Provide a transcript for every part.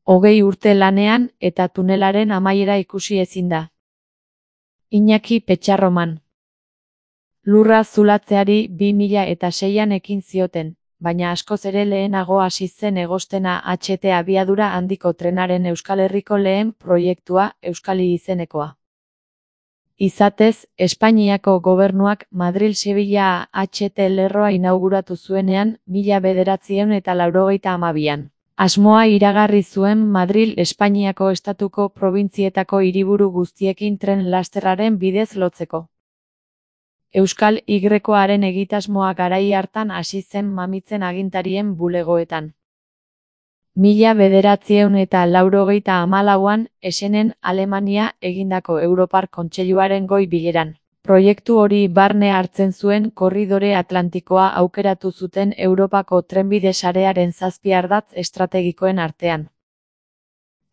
20 urte lanean eta tunelaren amaiera ikusi ezin da. Iñaki Petxarroman. Lurra zulatzeari 2006an ekin zioten, baina askoz ere lehenago hasi zen egostena HT abiadura handiko trenaren Euskal Herriko lehen proiektua, Euskali izenekoa. Izatez, Espainiako gobernuak Madril-Sevilla HT lerroa inauguratu zuenean 1982an. Asmoa iragarri zuen Madril Espainiako estatuko probintzietako hiriburu guztiekin tren lasterraren bidez lotzeko. Euskal Y-aren egitasmoa garai hartan hasi zen mamitzen agintarien bulegoetan. 1984an Essenen Alemania egindako Europar Kontseiluaren goi bileran. Proiektu hori barne hartzen zuen korridore atlantikoa aukeratu zuten Europako trenbide sarearen 7 ardatz estrategikoen artean.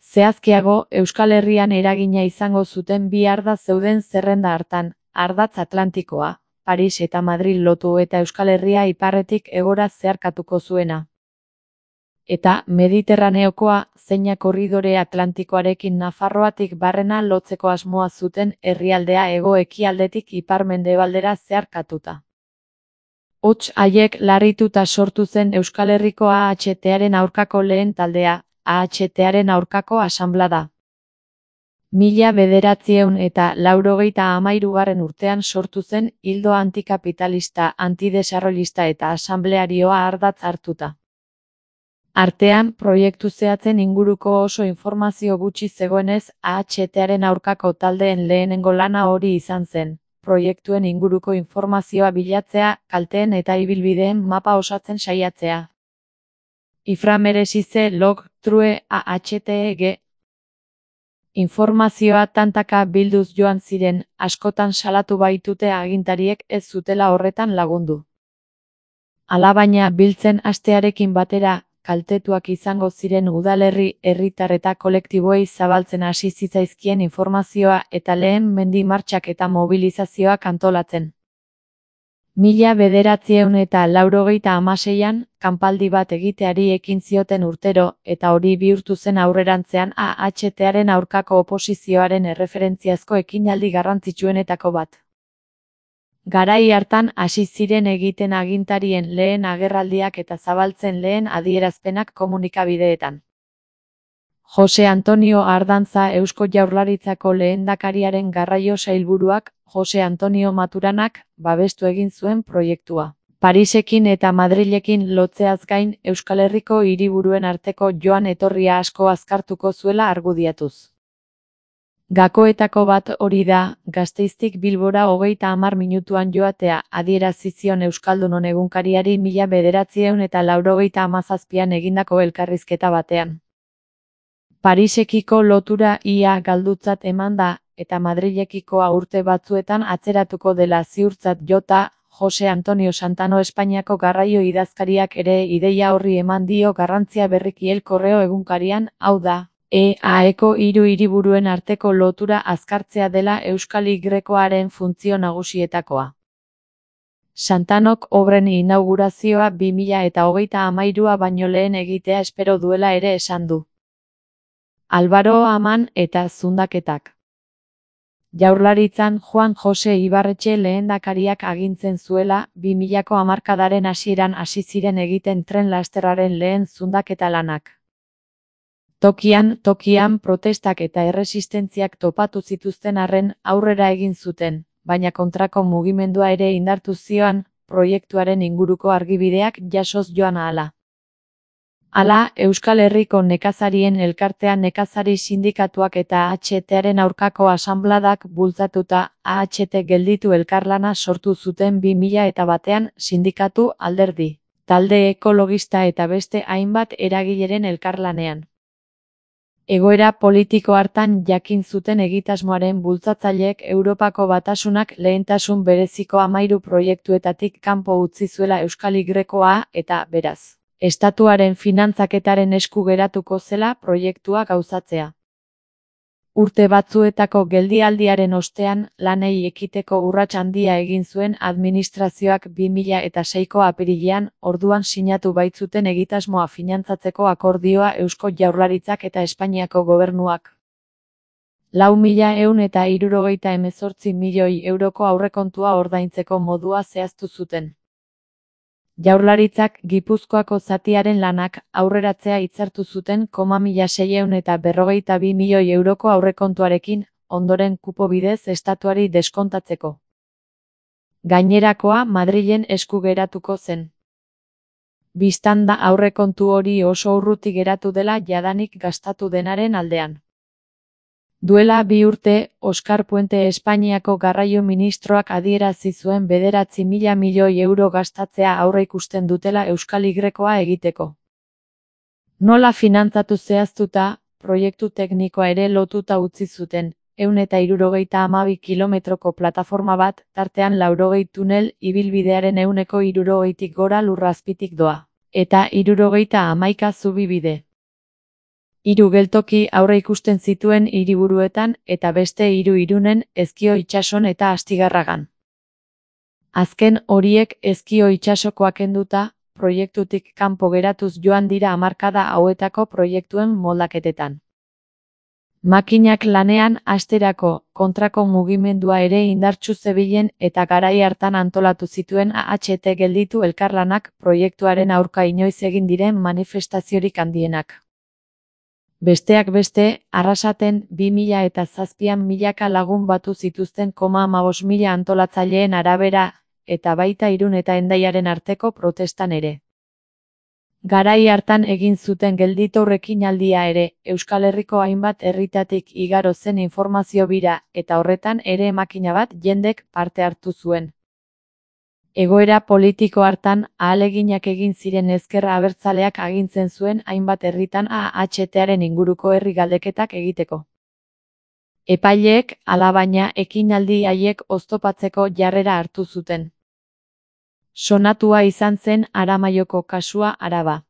Zehazkiago, Euskal Herrian eragina izango zuten 2 ardatz zeuden zerrenda hartan, ardatz atlantikoa, Paris eta Madril lotu eta Euskal Herria iparretik hegora zeharkatuko zuena. Eta Mediterraneokoa, zeina korridore atlantikoarekin Nafarroatik barrena lotzeko asmoa zuten herrialdea hego-ekialdetik ipar-mendebaldera zeharkatuta. Hots haiek larrituta sortu zen Euskal Herriko AHTaren aurkako lehen taldea, AHTaren aurkako asanblada. 1983 urtean sortu zen ildo antikapitalista, antidesarrollista eta asamblearioa ardatz hartuta. Artean, proiektu zehatzen inguruko oso informazio gutxi zegoenez, AHTaren aurkako taldeen lehenengo lana hori izan zen, proiektuen inguruko informazioa bilatzea, kalteen eta ibilbideen mapa osatzen saiatzea. Iframeresize log true AHTEG. Informazioa tantaka bilduz joan ziren, askotan salatu baitute agintariek ez zutela horretan lagundu. Alabaina biltzen hastearekin batera, kaltetuak izango ziren udalerri, herritar eta kolektiboei zabaltzen hasi zitzaizkien informazioa eta lehen mendi martxak eta mobilizazioak antolatzen. 1986an, kanpaldi bat egiteari ekin zioten urtero, eta hori bihurtu zen aurrerantzean AHTaren aurkako oposizioaren erreferentziazko ekinaldi garrantzitsuenetako bat. Garai hartan hasi ziren egiten agintarien lehen agerraldiak eta zabaltzen lehen adierazpenak komunikabideetan. Jose Antonio Ardantza Eusko Jaurlaritzako lehendakariaren garraio sailburuak, Jose Antonio Maturanak, babestu egin zuen proiektua. Parisekin eta Madrilekin lotzeaz gain Euskal Herriko hiriburuen arteko joan etorria asko azkartuko zuela argudiatuz. Gakoetako bat hori da, Gasteiztik Bilbora 30 minutuan joatea, adierazi zion Euskaldunon egunkariari 1987an egindako elkarrizketa batean. Parisekiko lotura ia galdutzat eman da, eta Madrilekikoa urte batzuetan atzeratuko dela ziurtzat jota, Jose Antonio Santano Espainiako garraio idazkariak ere ideia horri eman dio garrantzia berriki El Correo egunkarian, hau da, EAeko 3 hiriburuen arteko lotura azkartzea dela Euskal Y-aren funtzio nagusietakoa. Santanok obren inaugurazioa 2033a baino lehen egitea espero duela ere esan du. Álvaro Aman eta zundaketak. Jaurlaritzan Juan Jose Ibarretxe lehendakariak agintzen zuela, 2000ko hamarkadaren hasieran hasi ziren egiten tren lasterraren lehen zundaketa lanak. Tokian protestak eta erresistentziak topatu zituzten arren aurrera egin zuten, baina kontrako mugimendua ere indartu zioan, proiektuaren inguruko argibideak jasoz joan ahala. Hala, Euskal Herriko nekazarien elkartean nekazari sindikatuak eta AHTaren aurkako asanbladak bultzatuta, AHT gelditu elkarlana sortu zuten 2001an sindikatu, alderdi, talde ekologista eta beste hainbat eragileren elkarlanean. Egoera politiko hartan jakin zuten egitasmoaren bultzatzaileek Europako Batasunak lehentasun bereziko 13 proiektuetatik kanpo utzi zuela Euskal Y-koa eta, beraz, estatuaren finantzaketaren esku geratuko zela proiektua gauzatzea. Urte batzuetako geldialdiaren ostean, lanei ekiteko urrats handia egin zuen administrazioak 2006ko apirilean, orduan sinatu baitzuten egitasmoa finantzatzeko akordioa Eusko Jaurlaritzak eta Espainiako Gobernuak. 4.178 milioi euroko aurrekontua ordaintzeko modua zehaztu zuten. Jaurlaritzak Gipuzkoako zatiaren lanak aurreratzea hitzartu zuten 1.642 milioi euroko aurrekontuarekin, ondoren kupo bidez estatuari deskontatzeko. Gainerakoa Madrilen esku geratuko zen. Bistan da aurrekontu hori oso urruti geratu dela jadanik gastatu denaren aldean. Duela 2 urte, Oskar Puente Espainiako garraio ministroak adierazi zuen 9.000 milioi euro gastatzea aurreikusten dutela Euskal Y-koa egiteko. Nola finantzatu zehaztuta, proiektu teknikoa ere lotuta utzi zuten, 172 kilometroko plataforma bat, tartean 80 tunel, ibilbidearen 160tik gora lur azpitik doa, eta 71 zubibide. 3 geltoki aurreikusten zituen hiriburuetan eta beste 3 Irunen, Ezkio itsason eta Astigarragan. Azken horiek Ezkio itsasokoak kenduta, proiektutik kanpo geratuz joan dira hamarkada hauetako proiektuen moldaketetan. Makinak lanean hasterako kontrako mugimendua ere indartsu zebilen eta garai hartan antolatu zituen AHT gelditu elkarlanak proiektuaren aurka inoiz egin diren manifestaziorik handienak. Besteak beste, Arrasaten 2007an milaka lagun batu zituzten 15.000 antolatzaileen arabera, eta baita Irun eta Hendaiaren arteko protestan ere. Garai hartan egin zuten gelditu ekinaldia ere, Euskal Herriko hainbat herritatik igaro zen informazio bira, eta horretan ere makina bat jendek parte hartu zuen. Egoera politiko hartan, ahaleginak egin ziren ezker abertzaleak agintzen zuen hainbat herritan AHTaren inguruko herri galdeketak egiteko. Epaileek, alabaina, ekinaldi haiek oztopatzeko jarrera hartu zuten. Sonatua izan zen Aramaioko kasua Araba.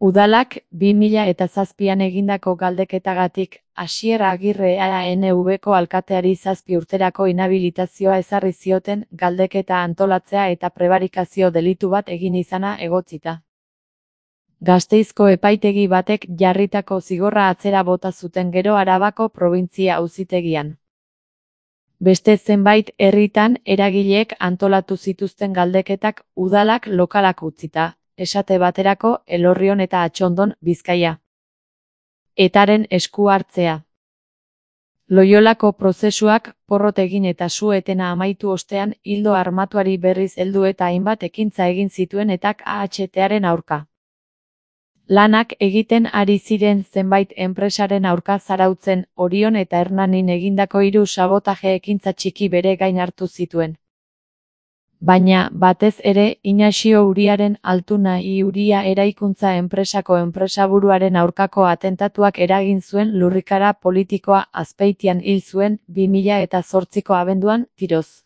Udalak 2007an egindako galdeketagatik, Asier Agirre ANV-ko alkateari 7 urterako inhabilitazioa ezarri zioten galdeketa antolatzea eta prebarikazio delitu bat egin izana egotzita. Gasteizko epaitegi batek jarritako zigorra atzera bota zuten gero Arabako probintzia auzitegian. Beste zenbait herritan eragileek antolatu zituzten galdeketak udalak lokalak utzita, esate baterako Elorrion eta Atxondon, Bizkaia. Etaren esku hartzea. Loiolako prozesuak porrot egin eta su-etena amaitu ostean ildo armatuari berriz heldu eta hainbat ekintza egin zituen etak AHTaren aurka. Lanak egiten ari ziren zenbait enpresaren aurka zarautzen, Orion eta Hernanin egindako 3 sabotaje ekintza txiki bere gain hartu zituen. Baina, batez ere, Inaxio Uriaren Altuna I Uria eraikuntza enpresako enpresaburuaren aurkako atentatuak eragin zuen lurrikara politikoa Azpeitian hil zuen 2008ko abenduan, tiroz.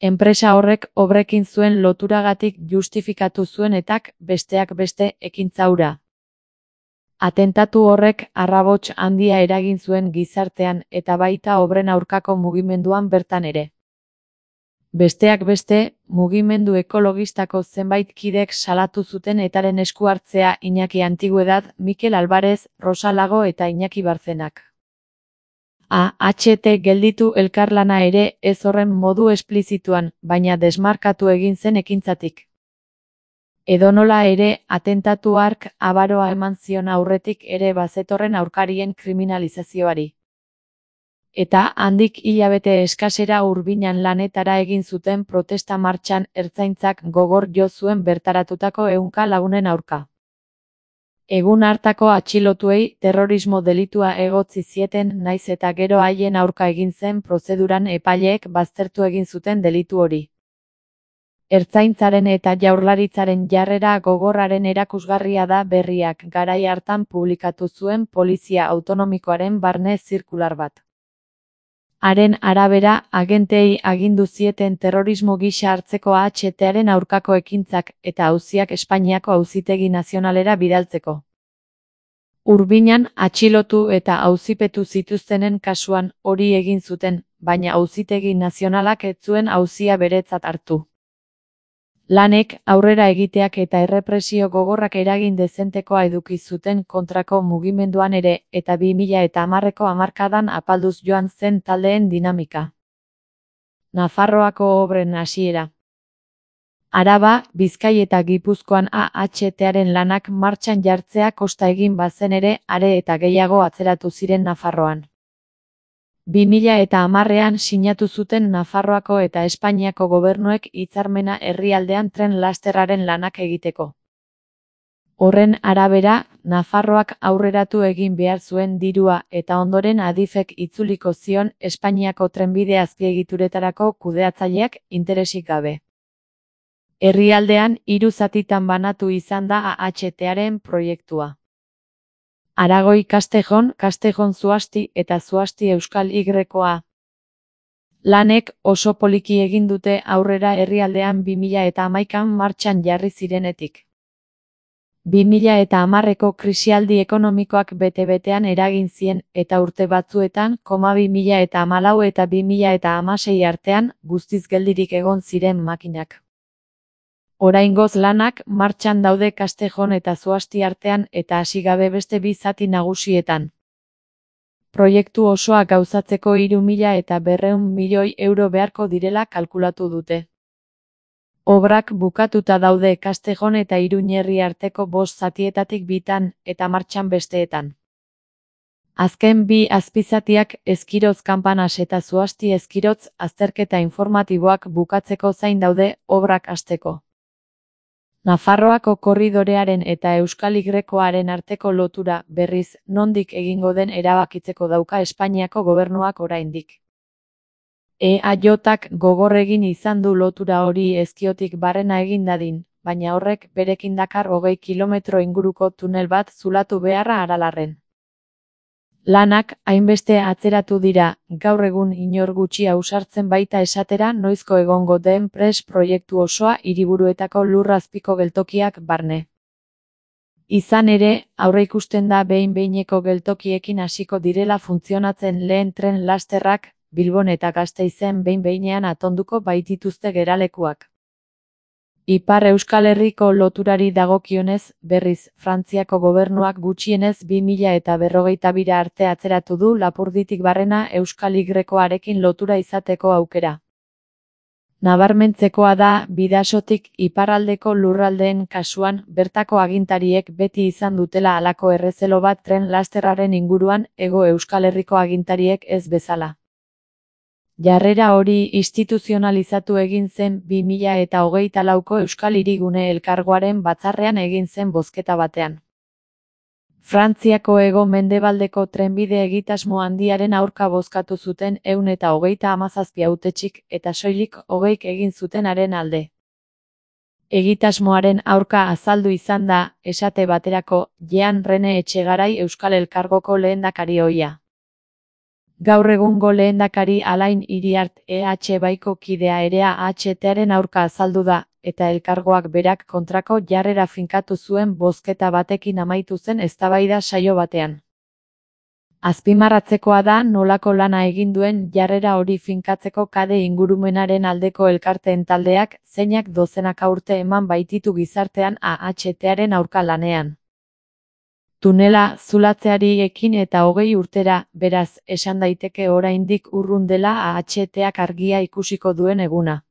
Enpresa horrek obrekin zuen loturagatik justifikatu zuen etak, besteak beste, ekintza hura. Atentatu horrek arrabots handia eragin zuen gizartean eta baita obren aurkako mugimenduan bertan ere. Besteak beste, mugimendu ekologistako zenbait kidek salatu zuten etaren esku hartzea Iñaki Antiguedad, Mikel Alvarez, Rosa Lago eta Iñaki Barzenak. AHT gelditu elkarlana ere ez horren modu esplizituan, baina desmarkatu egin zen ekintzatik. Edonola ere, atentatu hark abaroa eman zion aurretik ere bazetorren aurkarien kriminalizazioari. Eta handik hilabete eskasera hurbinan lanetara egin zuten protesta martxan ertzaintzak gogor jo zuen bertaratutako 100 lagunen aurka. Egun hartako atxilotuei terrorismo delitua egotzi zieten naiz eta gero haien aurka egin zen prozeduran epaileek baztertu egin zuten delitu hori. Ertzaintzaren eta Jaurlaritzaren jarrera gogorraren erakusgarria da Berriak garai hartan publikatu zuen Polizia Autonomikoaren barne zirkular bat. Haren arabera, agentei agindu zieten terrorismo gisa hartzeko AHTaren aurkako ekintzak eta auziak Espainiako Auzitegi Nazionalera bidaltzeko. Urbinan atxilotu eta auzipetu zituztenen kasuan hori egin zuten, baina Auzitegi Nazionalak ez zuen auzia beretzat hartu. Lanek aurrera egiteak eta errepresio gogorrak eragin dezentekoa eduki zuten kontrako mugimenduan ere eta 2010ko hamarkadan apalduz joan zen taldeen dinamika. Nafarroako obren hasiera. Araba, Bizkai eta Gipuzkoan AHTaren lanak martxan jartzea kosta egin bazen ere, are eta gehiago atzeratu ziren Nafarroan. 2010ean sinatu zuten Nafarroako eta Espainiako gobernuek hitzarmena herrialdean tren lasterraren lanak egiteko. Horren arabera, Nafarroak aurreratu egin behar zuen dirua eta ondoren Adifek itzuliko zion Espainiako trenbide azpiegituretarako kudeatzaileak interesik gabe. Herrialdean 3 zatitan banatu izan da AHTaren proiektua. Aragoi Castejon, Castejon Zuasti eta Zuasti Euskal Y-a. Lanek oso poliki egin dute aurrera herrialdean 2011an martxan jarri zirenetik. 2010ko krisialdi ekonomikoak bete-betean eragin zien eta urte batzuetan, 2014 eta 2016 artean, guztiz geldirik egon ziren makinak. Oraingoz lanak martxan daude Castejon eta Zuasti artean eta hasi gabe beste 2 zati nagusietan. Proiektu osoa gauzatzeko 3.200 milioi euro beharko direla kalkulatu dute. Obrak bukatuta daude Castejon eta Iruñerri arteko 5 zatietatik 2tan eta martxan besteetan. Azken 2 azpizatiak Eskiroz Kanpanas eta Zuasti Eskirotz azterketa informatiboak bukatzeko zain daude obrak hasteko. Nafarroako korridorearen eta Euskal Y-aren arteko lotura, berriz, nondik egingo den erabakitzeko dauka Espainiako gobernuak oraindik. EAJak gogor egin izan du lotura hori Ezkiotik barrena egin dadin, baina horrek berekin dakar 20 kilometro inguruko tunel bat zulatu beharra Aralarren. Lanak hainbeste atzeratu dira, gaur egun inor gutxi ausartzen baita esatera noizko egongo den prest proiektu osoa hiriburuetako lurrazpiko geltokiak barne. Izan ere, aurreikusten da behin-behineko geltokiekin hasiko direla funtzionatzen lehen tren lasterrak, Bilbon eta Gasteizen behin-behinean atonduko baitituzte geralekuak. Ipar Euskal Herriko loturari dagokionez, berriz, Frantziako gobernuak gutxienez 2022 arte atzeratu du Lapurditik barrena Euskal Y-arekin lotura izateko aukera. Nabarmentzekoa da, Bidasotik iparraldeko lurraldeen kasuan, bertako agintariek beti izan dutela halako errezelo bat tren lasterraren inguruan, Hego Euskal Herriko agintariek ez bezala. Jarrera hori instituzionalizatu egin zen 2024ko Euskal Hirigune Elkargoaren batzarrean egin zen bozketa batean. Frantziako hego-mendebaldeko trenbide egitasmo handiaren aurka bozkatu zuten 137 hautetxik eta soilik 20 egin zutenaren alde. Egitasmoaren aurka azaldu izan da, esate baterako, Jean Rene Etxegarai Euskal Elkargoko lehendakari ohia. Gaur egungo lehendakari Alain Iriart EH-baiko kidea ere AHTaren aurka azaldu da, eta elkargoak berak kontrako jarrera finkatu zuen bozketa batekin amaitu zen eztabaida saio batean. Azpimarratzekoa da nolako lana egin duen jarrera hori finkatzeko Kade ingurumenaren aldeko elkarteen taldeak, zeinak dozenaka urte eman baititu gizartean AHTaren aurka lanean. Tunela zulatzeari ekin eta 20 urtera, beraz, esan daiteke oraindik urrun dela AHTak argia ikusiko duen eguna.